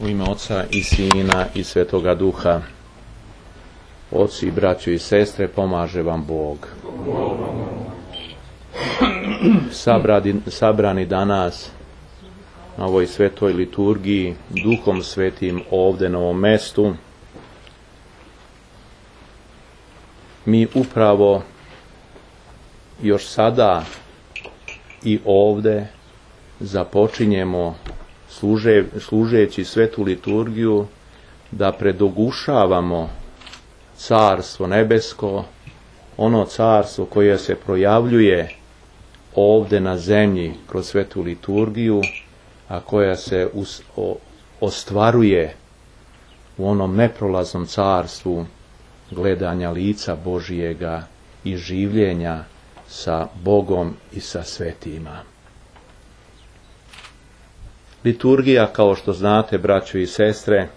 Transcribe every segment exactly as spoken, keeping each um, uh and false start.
U ime Oca i Sina i Svetoga Duha. Oci, braćo i sestre, pomaže vam Bog. Sabrani, sabrani danas na ovoj svetoj liturgiji, Duhom Svetim ovdje na ovom mestu, mi upravo još sada i ovdje započinjemo služe, služeći svetu liturgiju da predogušavamo carstvo nebesko, ono carstvo koje se projavljuje ovdje na zemlji kroz svetu liturgiju, a koja se us, o, ostvaruje u onom neprolaznom carstvu gledanja lica Božijega i življenja sa Bogom i sa svetima. Liturgija, kao što znate, braćo i sestre,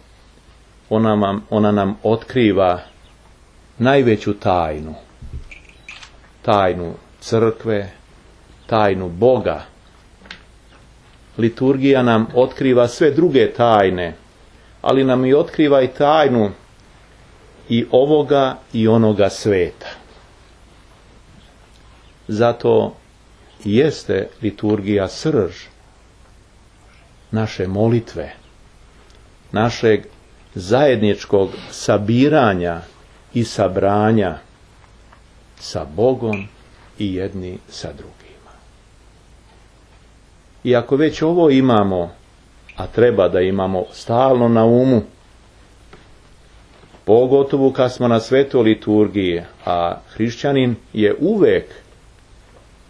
ona, vam, ona nam otkriva najveću tajnu. Tajnu crkve, tajnu Boga. Liturgija nam otkriva sve druge tajne, ali nam i otkriva i tajnu i ovoga i onoga sveta. Zato jeste liturgija srž naše molitve, našeg zajedničkog sabiranja i sabranja sa Bogom i jedni sa drugima. I ako već ovo imamo, a treba da imamo stalno na umu, pogotovo kad smo na svetoj liturgiji, a hrišćanin je uvek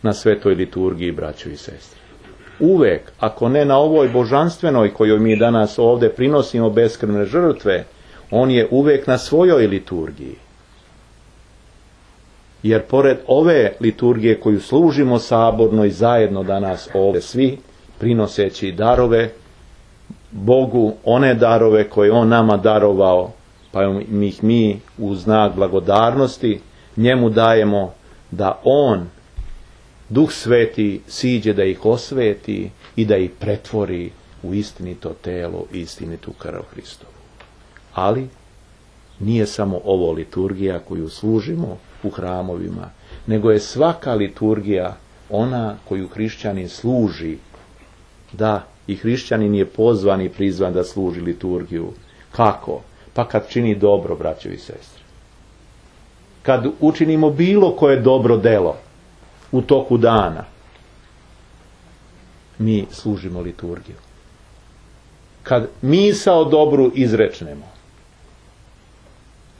na svetoj liturgiji, braćo i sestre. Uvek, ako ne na ovoj božanstvenoj kojoj mi danas ovdje prinosimo beskrvne žrtve, on je uvek na svojoj liturgiji. Jer pored ove liturgije koju služimo saborno i zajedno danas ovdje svi, prinoseći darove Bogu, one darove koje on nama darovao, pa ih mi u znak blagodarnosti njemu dajemo da on, Duh Sveti, siđe da ih osveti i da ih pretvori u istinito telo i istinitu krv Hristovu. Ali nije samo ovo liturgija koju služimo u hramovima, nego je svaka liturgija ona koju hrišćanin služi. Da, i hrišćanin je pozvan i prizvan da služi liturgiju. Kako? Pa kad čini dobro, braćo i sestre. Kad učinimo bilo koje dobro delo u toku dana, mi služimo liturgiju. Kad misao dobru izrečnemo,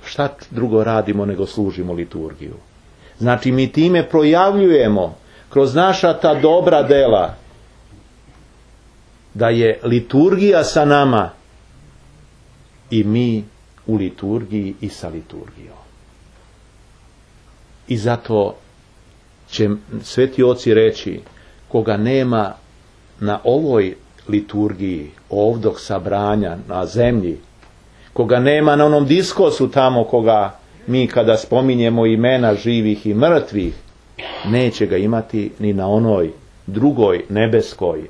šta drugo radimo nego služimo liturgiju? Znači mi time projavljujemo kroz naša ta dobra dela da je liturgija sa nama i mi u liturgiji i sa liturgijom. I zato će sveti oci reći, koga nema na ovoj liturgiji, ovdog sabranja na zemlji, koga nema na onom diskosu tamo koga mi kada spominjemo imena živih i mrtvih, neće ga imati ni na onoj drugoj nebeskoj,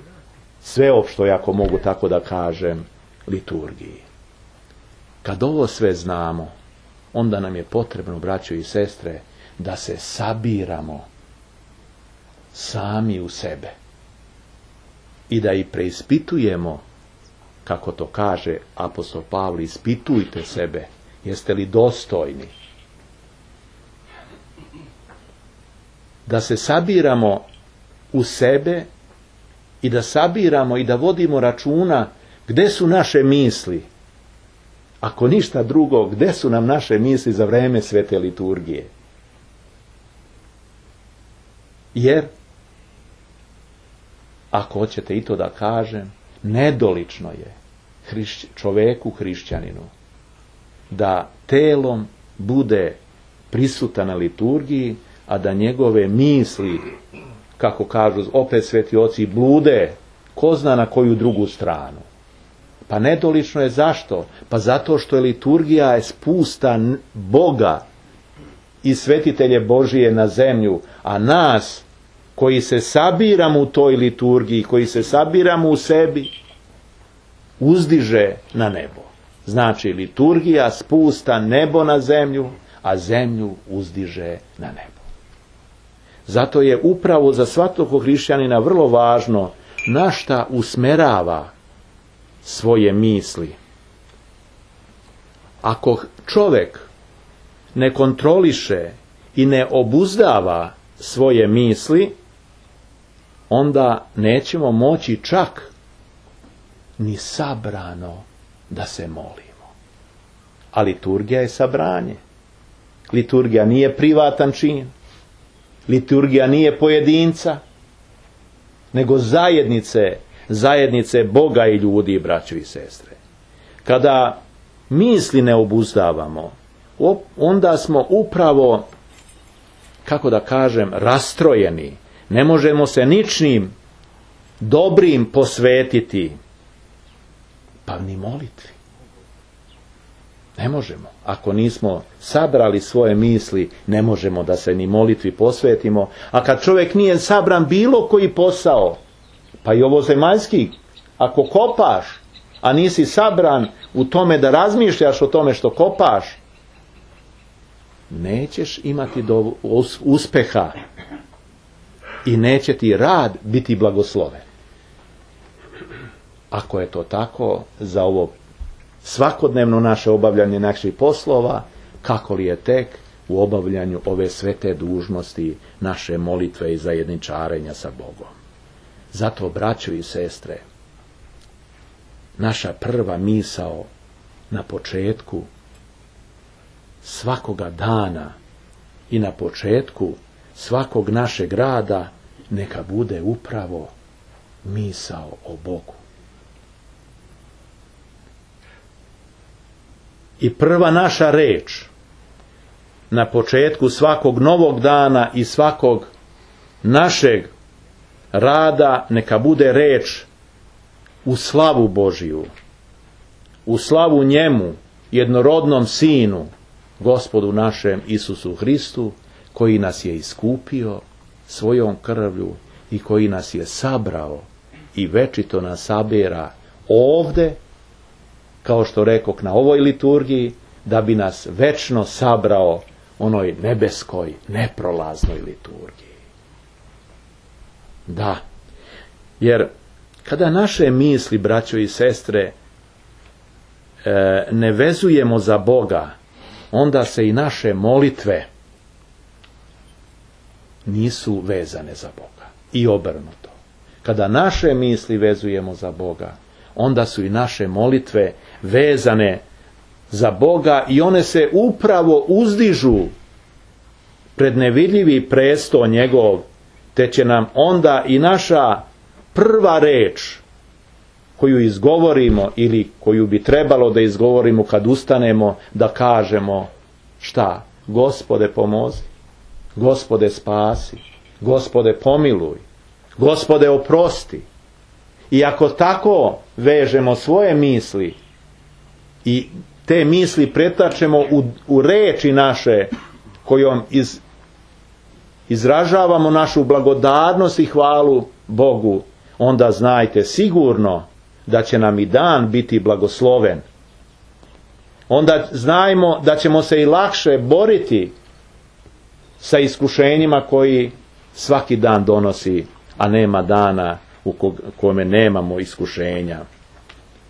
sveopštoj, ako mogu tako da kažem, liturgiji. Kad ovo sve znamo, onda nam je potrebno, braćo i sestre, da se sabiramo sami u sebe i da i preispitujemo, kako to kaže apostol Pavle, ispitujte sebe, jeste li dostojni. Da se sabiramo u sebe i da sabiramo i da vodimo računa gde su naše misli. Ako ništa drugo, gde su nam naše misli za vreme svete liturgije? Jer, ako hoćete i to da kažem, nedolično je hrišć, čoveku hrišćaninu da telom bude prisutan na liturgiji, a da njegove misli, kako kažu opet sveti oci, blude ko zna na koju drugu stranu. Pa nedolično je zašto? Pa zato što je liturgija je spusta Boga i svetitelje Božije na zemlju, a nas koji se sabiramo u toj liturgiji, koji se sabiramo u sebi, uzdiže na nebo. Znači, liturgija spusta nebo na zemlju, a zemlju uzdiže na nebo. Zato je upravo za svakog hrišćanina vrlo važno na šta usmerava svoje misli. Ako čovjek ne kontroliše i ne obuzdava svoje misli, onda nećemo moći čak ni sabrano da se molimo. A liturgija je sabranje. Liturgija nije privatan čin. Liturgija nije pojedinca, nego zajednice, zajednice Boga i ljudi, braćo i sestre. Kada misli ne obuzdavamo, onda smo upravo, kako da kažem, rastrojeni. Ne možemo se ničim dobrim posvetiti, pa ni molitvi. Ne možemo. Ako nismo sabrali svoje misli, ne možemo da se ni molitvi posvetimo. A kad čovjek nije sabran bilo koji posao, pa i ovo zemaljski, ako kopaš, a nisi sabran u tome da razmišljaš o tome što kopaš, nećeš imati do uspeha i neće ti rad biti blagosloven. Ako je to tako, za ovo svakodnevno naše obavljanje naših poslova, kako li je tek u obavljanju ove svete dužnosti naše molitve i zajedničarenja sa Bogom. Zato, braćo i sestre, naša prva misao na početku svakoga dana i na početku svakog našeg rada neka bude upravo misao o Bogu. I prva naša reč na početku svakog novog dana i svakog našeg rada neka bude reč u slavu Božiju, u slavu njemu, jednorodnom Sinu, Gospodu našem Isusu Hristu, koji nas je iskupio svojom krvlju i koji nas je sabrao i večito nas sabira ovde, kao što rekoh, na ovoj liturgiji, da bi nas večno sabrao onoj nebeskoj, neprolaznoj liturgiji. Da, jer kada naše misli, braćo i sestre, ne vezujemo za Boga, onda se i naše molitve nisu vezane za Boga. I obrnuto. Kada naše misli vezujemo za Boga, onda su i naše molitve vezane za Boga i one se upravo uzdižu pred nevidljivi presto njegov, te će nam onda i naša prva reč koju izgovorimo ili koju bi trebalo da izgovorimo kad ustanemo, da kažemo šta? Gospode pomozi, Gospode spasi, Gospode pomiluj, Gospode oprosti. I ako tako vežemo svoje misli i te misli pretačemo u, u reči naše kojom iz, izražavamo našu blagodarnost i hvalu Bogu, onda znajte sigurno da će nam i dan biti blagosloven. Onda znajmo da ćemo se i lakše boriti sa iskušenjima koji svaki dan donosi, a nema dana u kome nemamo iskušenja.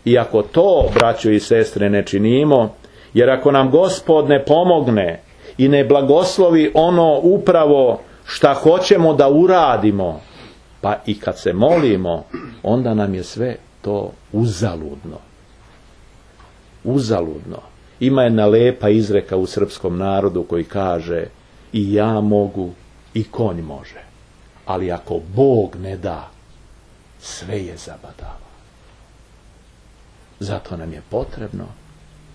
I ako to, braćo i sestre, ne činimo, jer ako nam Gospod ne pomogne i ne blagoslovi ono upravo šta hoćemo da uradimo, pa i kad se molimo, onda nam je sve to uzaludno. Uzaludno. Ima jedna lepa izreka u srpskom narodu koji kaže: i ja mogu i konj može, ali ako Bog ne da, sve je zabadava. Zato nam je potrebno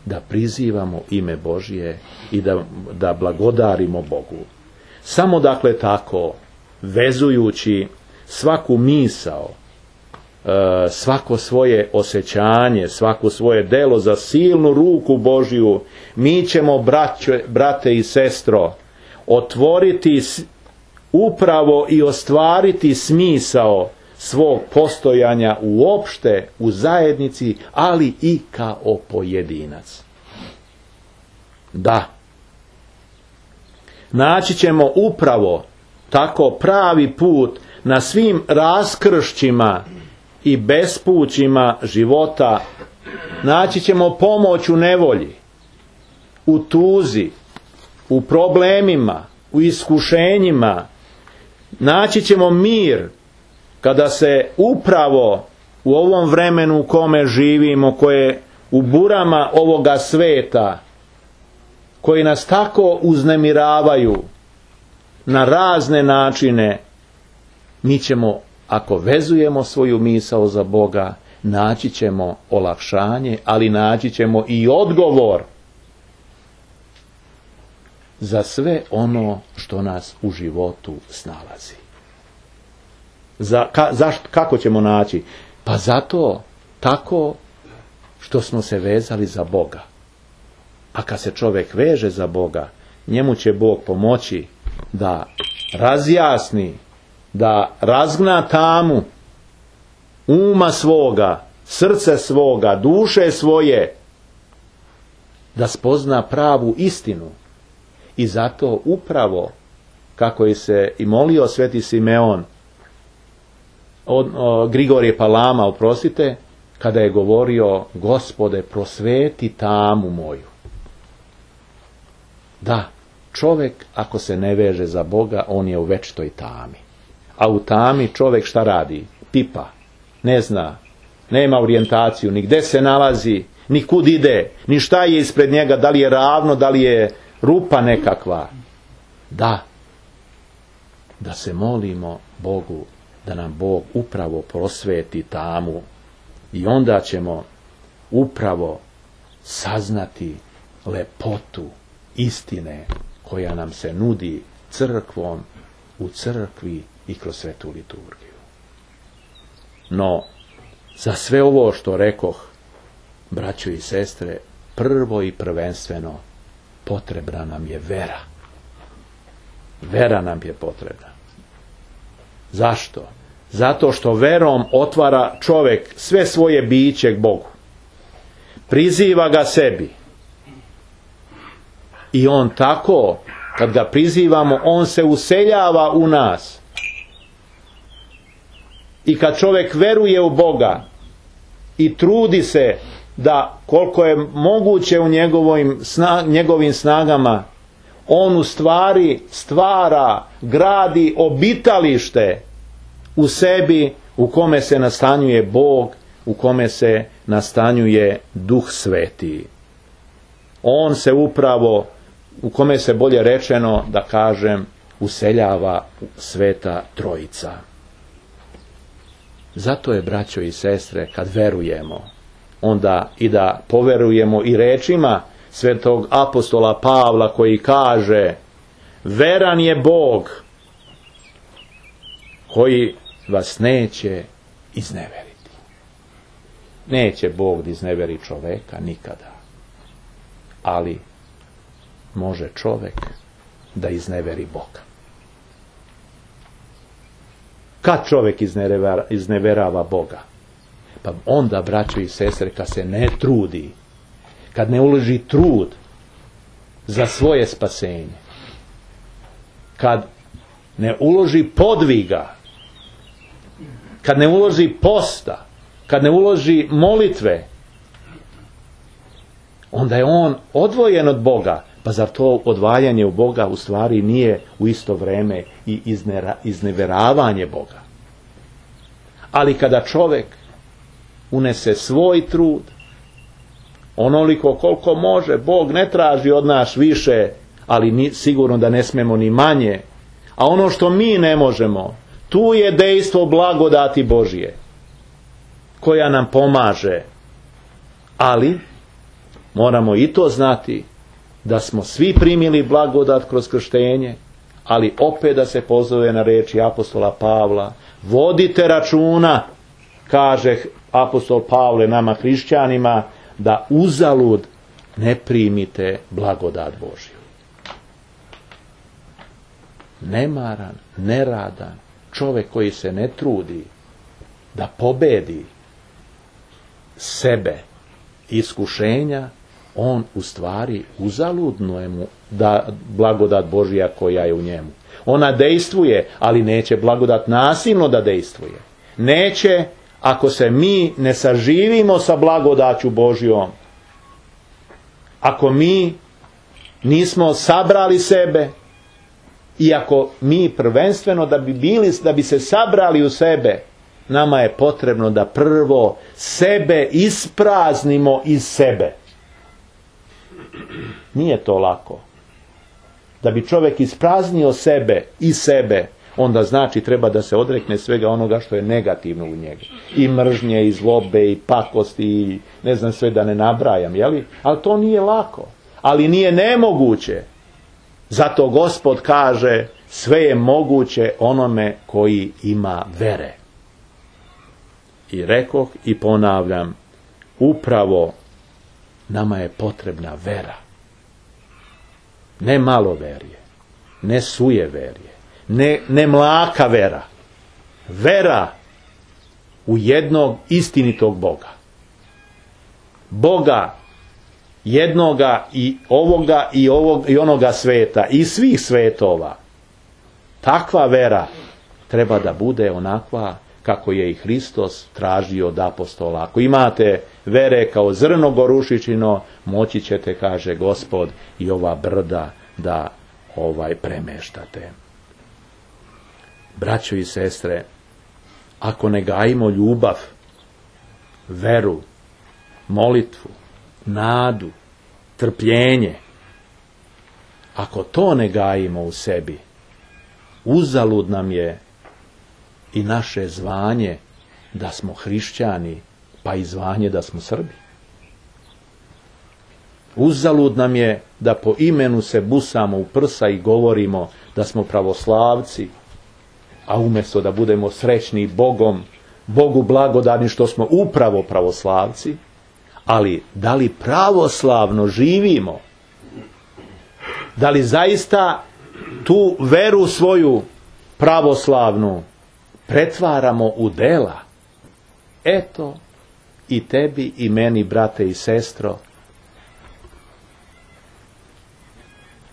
da prizivamo ime Božje i da, da blagodarimo Bogu. Samo dakle tako, vezujući svaku misao, svako svoje osjećanje, svako svoje delo za silnu ruku Božju, mi ćemo, braće, brate i sestro, otvoriti upravo i ostvariti smisao svog postojanja uopšte u zajednici, ali i kao pojedinac. Da. Naći ćemo upravo tako pravi put na svim raskršćima i bespućima života. Naći ćemo pomoć u nevolji, u tuzi, u problemima, u iskušenjima. Naći ćemo mir kada se upravo u ovom vremenu u kome živimo, koje u burama ovoga sveta, koji nas tako uznemiravaju na razne načine, mi ćemo, ako vezujemo svoju misao za Boga, naći ćemo olakšanje, ali naći ćemo i odgovor za sve ono što nas u životu snalazi. Za, ka, zašto, kako ćemo naći? Pa zato tako što smo se vezali za Boga. A kad se čovjek veže za Boga, njemu će Bog pomoći da razjasni, da razgna tamu uma svoga, srce svoga, duše svoje, da spozna pravu istinu. I zato upravo, kako je se i molio sveti Simeon, od, o, Grigorije Palama, oprostite, kada je govorio: Gospode, prosveti tamu moju. Da, čovjek ako se ne veže za Boga, on je u večitoj tami. A u tami čovjek šta radi? Pipa, ne zna, nema orijentaciju, ni gde se nalazi, ni kud ide, ni šta je ispred njega, da li je ravno, da li je rupa nekakva. Da, da se molimo Bogu, da nam Bog upravo prosveti tamu, i onda ćemo upravo saznati lepotu istine koja nam se nudi crkvom, u crkvi i kroz svetu liturgiju. No, za sve ovo što rekoh, braćo i sestre, prvo i prvenstveno potrebna nam je vera. Vera nam je potrebna. Zašto? Zato što verom otvara čovjek sve svoje biće k Bogu. Priziva ga sebi. I on tako, kad ga prizivamo, on se useljava u nas. I kad čovjek veruje u Boga i trudi se da koliko je moguće u njegovim, sna, njegovim snagama, on u stvari stvara, gradi obitalište u sebi, u kome se nastanjuje Bog, u kome se nastanjuje Duh Sveti. On se upravo, u kome se bolje rečeno, da kažem, useljava Sveta Trojica. Zato je, braćo i sestre, kad verujemo, onda i da poverujemo i rečima svetog apostola Pavla, koji kaže: veran je Bog koji vas neće izneveriti. Neće Bog da izneveri čoveka nikada, ali može čovek da izneveri Boga. Kad čovjek izneverava, izneverava Boga? Pa onda, braćo i sestre, kad se ne trudi, kad ne uloži trud za svoje spasenje, kad ne uloži podviga, kad ne uloži posta, kad ne uloži molitve, onda je on odvojen od Boga. Pa zar to odvajanje u Boga u stvari nije u isto vrijeme i iznera, izneveravanje Boga? Ali kada čovjek unese svoj trud, onoliko koliko može, Bog ne traži od nas više, ali ni, sigurno da ne smemo ni manje, a ono što mi ne možemo, tu je dejstvo blagodati Božje, koja nam pomaže. Ali moramo i to znati, da smo svi primili blagodat kroz krštenje, ali opet da se pozove na riječi apostola Pavla: vodite računa, kaže apostol Pavle nama hrišćanima, da uzalud ne primite blagodat Božju. Nemaran, neradan čovjek koji se ne trudi da pobedi sebe iskušenja, on u stvari uzaludno je mu da blagodat Božja koja je u njemu. Ona dejstvuje, ali neće blagodat nasilno da dejstvuje. Neće ako se mi ne saživimo sa blagodaću Božjom. Ako mi nismo sabrali sebe, i ako mi prvenstveno da bi bili, da bi se sabrali u sebe, nama je potrebno da prvo sebe ispraznimo iz sebe. Nije to lako. Da bi čovjek ispraznio sebe i sebe, onda znači treba da se odrekne svega onoga što je negativno u njega. I mržnje, i zlobe, i pakosti, i ne znam sve da ne nabrajam, jeli? Ali to nije lako. Ali nije nemoguće. Zato Gospod kaže, sve je moguće onome koji ima vere. I rekoh i ponavljam, upravo nama je potrebna vera. Ne maloverje, ne sujeverje, ne, ne mlaka vera. Vera u jednog istinitog Boga. Boga jednoga i ovoga i, ovog, i onoga sveta i svih svetova. Takva vera treba da bude onakva kako je i Hristos tražio od apostola. Ako imate vere kao zrno gorušičino, moći ćete, kaže Gospod, i ova brda da ovaj premeštate. Braćo i sestre, ako ne gajimo ljubav, veru, molitvu, nadu, trpljenje, ako to ne gajimo u sebi, uzalud nam je i naše zvanje da smo hrišćani, pa i zvanje da smo Srbi. Uzalud nam je da po imenu se busamo u prsa i govorimo da smo pravoslavci, a umjesto da budemo srećni Bogom, Bogu blagodani što smo upravo pravoslavci, ali da li pravoslavno živimo? Da li zaista tu veru svoju pravoslavnu pretvaramo u dela? Eto, i tebi i meni, brate i sestro,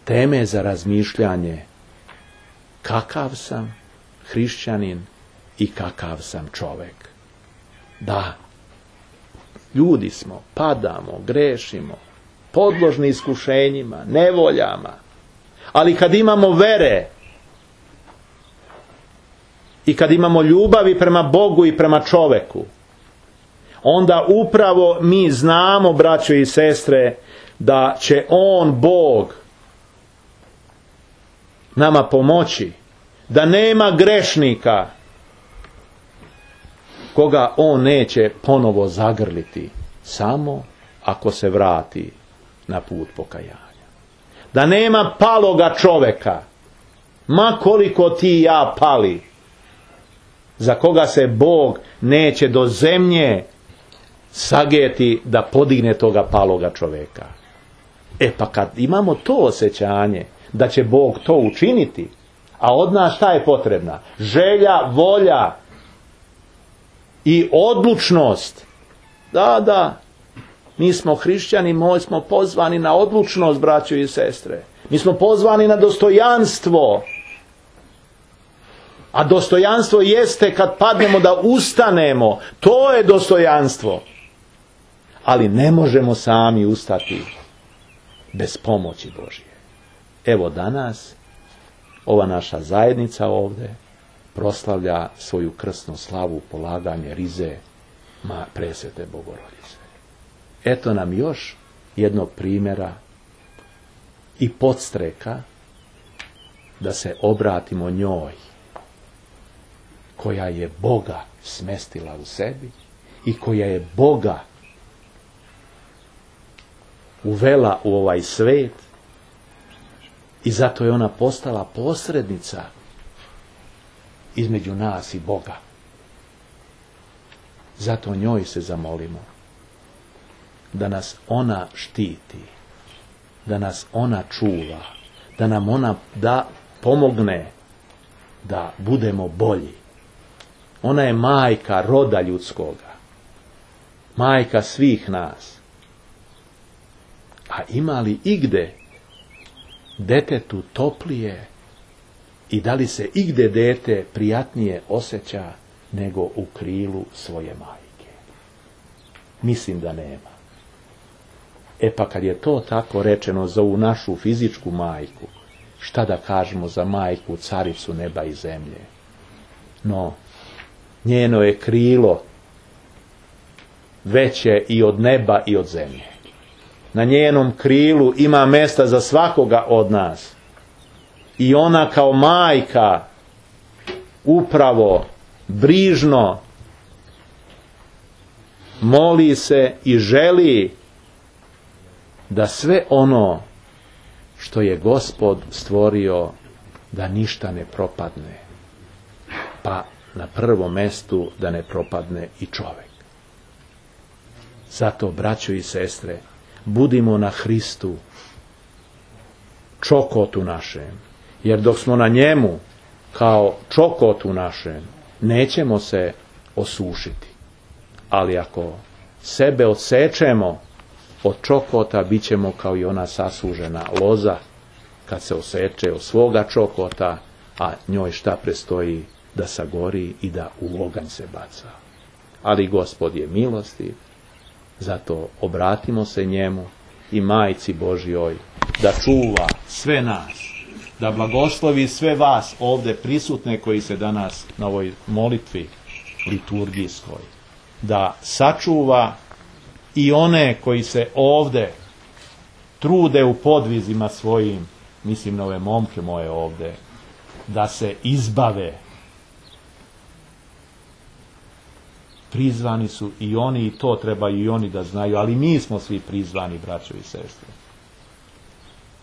teme za razmišljanje, kakav sam hrišćanin i kakav sam čovek. Da, ljudi smo, padamo, grešimo, podložni iskušenjima, nevoljama, ali kad imamo vere i kad imamo ljubavi prema Bogu i prema čoveku, onda upravo mi znamo, braćo i sestre, da će On, Bog, nama pomoći, da nema grešnika koga On neće ponovo zagrliti, samo ako se vrati na put pokajanja. Da nema paloga čoveka, ma koliko ti i ja pali, za koga se Bog neće do zemlje sageti da podigne toga paloga čoveka. E pa kad imamo to osjećanje da će Bog to učiniti, a od nas šta je potrebna? Želja, volja i odlučnost. Da, da, mi smo hrišćani, mi smo pozvani na odlučnost, braćo i sestre. Mi smo pozvani na dostojanstvo. A dostojanstvo jeste kad padnemo da ustanemo. To je dostojanstvo. Ali ne možemo sami ustati bez pomoći Božje. Evo danas ova naša zajednica ovdje proslavlja svoju krsnu slavu polaganje rize ma presvete Bogorodice. Eto nam još jednog primjera i podstreka da se obratimo njoj, koja je Boga smestila u sebi i koja je Boga uvela u ovaj svet, i zato je ona postala posrednica između nas i Boga. Zato njoj se zamolimo da nas ona štiti, da nas ona čuva, da nam ona da pomogne da budemo bolji, Ona je majka roda ljudskoga. Majka svih nas. A ima li igde detetu toplije i da li se igde dete prijatnije osjeća nego u krilu svoje majke? Mislim da nema. E pa kad je to tako rečeno za ovu našu fizičku majku, šta da kažemo za majku, caricu neba i zemlje? No, njeno je krilo veće i od neba i od zemlje. Na njenom krilu ima mesta za svakoga od nas. I ona kao majka upravo brižno moli se i želi da sve ono što je Gospod stvorio da ništa ne propadne. Pa na prvom mestu da ne propadne i čovjek. Zato, braćo i sestre, budimo na Hristu, čokotu našem, jer dok smo na njemu kao čokotu našem, nećemo se osušiti. Ali ako sebe odsečemo od čokota, bit ćemo kao i ona sasužena loza kad se oseče od svoga čokota, a njoj šta prestoji? Da sagori i da u oganj se baca. Ali Gospod je milostiv, zato obratimo se njemu i Majci Božjoj da čuva sve nas, da blagoslovi sve vas ovdje prisutne koji se danas na ovoj molitvi liturgijskoj, da sačuva i one koji se ovdje trude u podvizima svojim, mislim na ove momke moje ovdje, da se izbave. Prizvani su i oni, i to trebaju i oni da znaju, ali mi smo svi prizvani, braćo i sestre.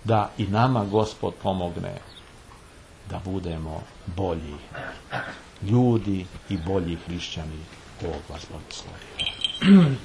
Da i nama Gospod pomogne da budemo bolji ljudi i bolji hrišćani. Bog vas blagoslovi.